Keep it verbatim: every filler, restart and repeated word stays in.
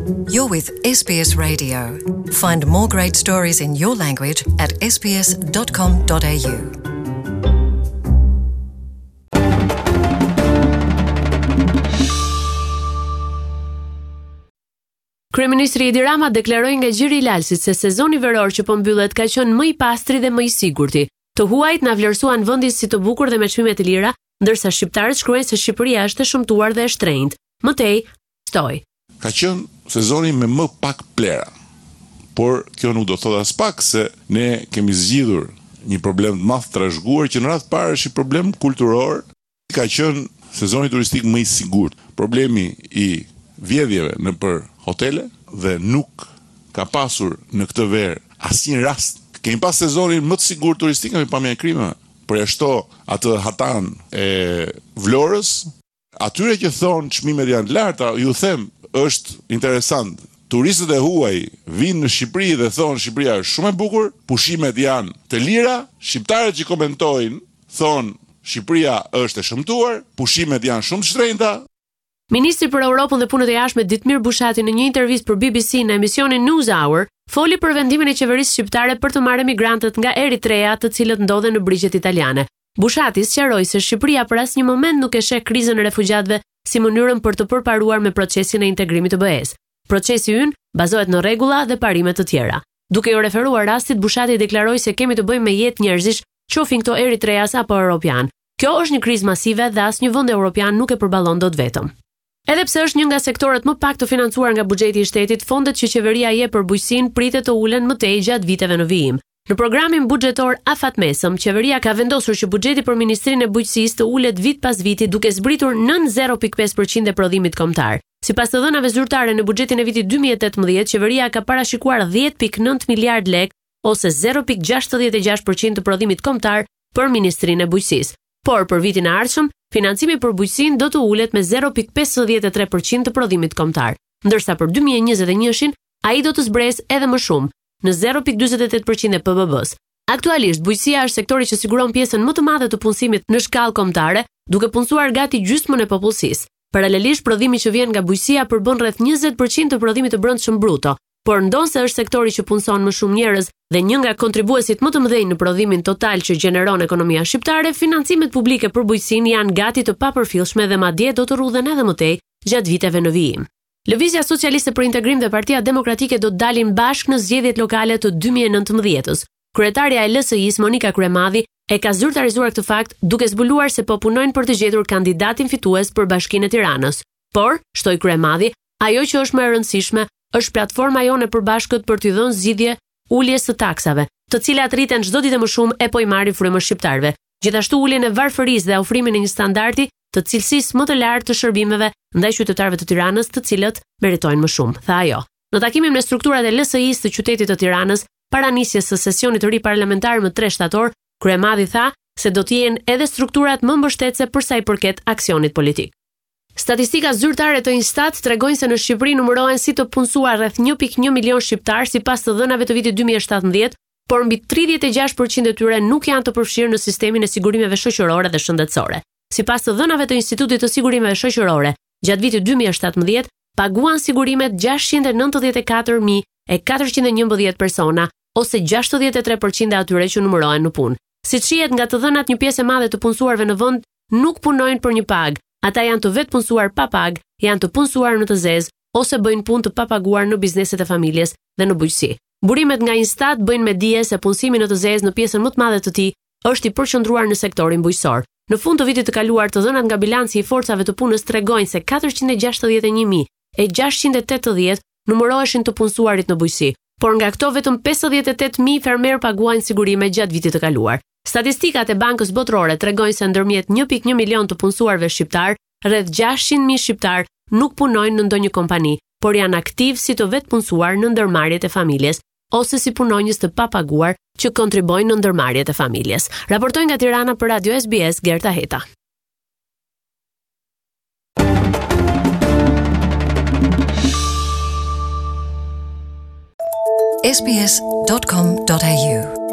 You're with S B S Radio. Find more great stories in your language at S B S dot com dot A U. Kryeministri Edi Rama deklaroi nga Gjiri i Lalsit se sezoni veror që po mbyllet ka qenë më i pastri dhe më i sigurti. Të huajt na vlerësuan vendin si të bukur dhe me çmime të lira, ndërsa shqiptarët shkruajnë se Shqipëria është e shëmtuar dhe e shtrenjtë. Më tej, shtoi: Ka qenë sezoni me më pak plera. Por kjo nuk do thotë as pak se ne kemi zgjidhur një problem të madh trashëguar, që në radhë parë është një problem kulturor. Ka qenë sezoni turistik më i sigurt. Problemi i vjedhjeve nëpër hotele dhe nuk ka pasur në këtë verë asnjë rast. Kemi pas sezonin më të sigurt turistik nga pamja e krimeve. Përjashto atë hatan e Vlorës, atyre që thonë çmimet janë të larta, ju them, është interesant. Turistët e huaj vinë në Shqipëri dhe thonë Shqipëria është shumë e bukur, pushimet janë të lira, shqiptarët që komentojnë thonë Shqipëria është e shëmtuar, pushimet janë shumë të shtrenjta. Ministri për Europën dhe Punët e Jashtme Ditmir Bushati në një intervistë për B B C në emisionin News Hour foli për vendimin e qeverisë shqiptare për të marrë emigrantët nga Eritrea, të cilët ndodhen në brigjet italiane. Bushati sqaroi se Shqipëria për asnjë moment nuk e sheh krizën e refugjatëve si mënyrën për të përparuar me procesin e integrimit të B E-s. Procesi ynë bazohet në rregulla dhe parime të tjera. Duke iu referuar rastit, Bushati deklaroi se kemi të bëjmë me jetë njerëzish, qofin këto eritreas apo europian. Kjo është një krizë masive dhe asnjë vend europian nuk e përballon dot vetëm. Edhe pse është një nga sektorët më pak të financuar nga buxheti i shtetit, fondet që qeveria jep për bujqësinë pritet të ulen më tej gjatë viteve në vijim. Në programin buxhetor afatmesëm, qeveria ka vendosur që buxheti për Ministrinë e Bujqësisë të ulet vit pas viti, duke zbritur nën zero pikë pesë për qind e prodhimit kombëtar. Sipas të dhënave zyrtare, në buxhetin e vitit dy mijë e tetëmbëdhjetë, qeveria ka parashikuar dhjetë pikë nëntë miliard lekë ose zero pikë gjashtëdhjetë e gjashtë për qind të prodhimit kombëtar për Ministrinë e Bujqësisë. Por për vitin e ardhshëm, financimi për bujqësinë do të ulet me zero pikë pesëdhjetë e tre për qind të prodhimit kombëtar, ndërsa për dy mijë e njëzet e njëshin ai do të zbresë edhe më shumë, në zero pikë dyzet e tetë për qind e P B B-s. Aktualisht, bujqësia është sektori që siguron pjesën më të madhe të punësimit në shkallë kombëtare, duke punësuar gati gjysmën e popullsisë. Paralelisht, prodhimi që vjen nga bujqësia përbën rreth njëzet për qind të prodhimit të brendshëm bruto, por ndonëse është sektori që punëson më shumë njerëz dhe një nga kontribuesit më të mëdhenj në prodhimin total që gjeneron ekonomia shqiptare, financimet publike për bujqësinë janë gati të papërfillshme dhe madje do të rrudhen edhe më tej gjatë viteve në vijim. Lëvizja Socialiste për Integrim dhe Partia Demokratike do të dalin bashkë në zgjedhjet lokale të dy mijë e nëntëmbëdhjetës. Kryetarja e L S I-s, Monika Kryemadhi, e ka zyrtarizuar këtë fakt, duke zbuluar se po punojnë për të gjetur kandidatin fitues për Bashkinë e Tiranës. Por, shtoi Kryemadhi, ajo që është më e rëndësishme është platforma jonë e përbashkët për t'i dhënë zgjidhje uljes së taksave, të cilat rriten çdo ditë më shumë e po i marrin frymën shqiptarëve. Gjithashtu, uljen e varfërisë dhe ofrimin e një standardi të cilësisë më të lartë të shërbimeve ndaj qytetarëve të Tiranës, të cilët meritojnë më shumë, tha ajo. Në takimin me strukturat e L S I-s të qytetit të Tiranës, para nisjes së sesionit të ri parlamentar më tre shtator, Kryemadhi tha se do të jenë edhe strukturat më mbështetëse për sa i përket aksionit politik. Statistika zyrtare të Instat tregojnë se në Shqipëri numërohen si të punësuar rreth një pikë një milion shqiptar sipas të dhënave të vitit dy mijë e shtatëmbëdhjetë, por mbi tridhjetë e gjashtë për qind e tyre nuk janë të përfshirë në sistemin e sigurimeve shoqërore dhe shëndetësore. Sipas të dhënave të Institutit të Sigurimeve Shoqërore, gjatë vitit dy mijë e shtatëmbëdhjetë paguan sigurimet gjashtëqind e nëntëdhjetë e katër mijë e katërqind e njëmbëdhjetë persona ose gjashtëdhjetë e tre për qind e atyre që numërohen në punë. Si shihet nga të dhënat, një pjesë e madhe të punësuarve në vend nuk punojnë për një pagë. Ata janë të vetë punësuar pa pagë, janë të punësuar në të zezë ose bëjnë punë të papaguar në bizneset e familjes dhe në bujqësi. Burimet nga Instat bëjnë me dije se punësimi në të zezë në pjesën më të madhe të tij është i përqendruar në sektorin bujqësor. Në fund të vitit të kaluar, të dhënat nga bilanci i forcave të punës tregojnë se katërqind e gjashtëdhjetë e një mijë e gjashtëqind e tetëdhjetë numëroheshin të punësuarit në bujqësi, por nga këto vetëm pesëdhjetë e tetë mijë fermer paguajnë sigurime gjatë vitit të kaluar. Statistikat e Bankës Botërore tregojnë se ndërmjet një pikë një milion të punësuarve shqiptar, rreth gjashtëqind mijë shqiptar nuk punojnë në ndonjë kompani, por janë aktiv si të vetëpunësuar në ndërmarrjet e familjes ose si punonjës të papaguar që kontribuojnë në ndërmarrjet e familjes. Raportoi nga Tirana për Radio S B S Gerta Heta. S B S dot com dot A U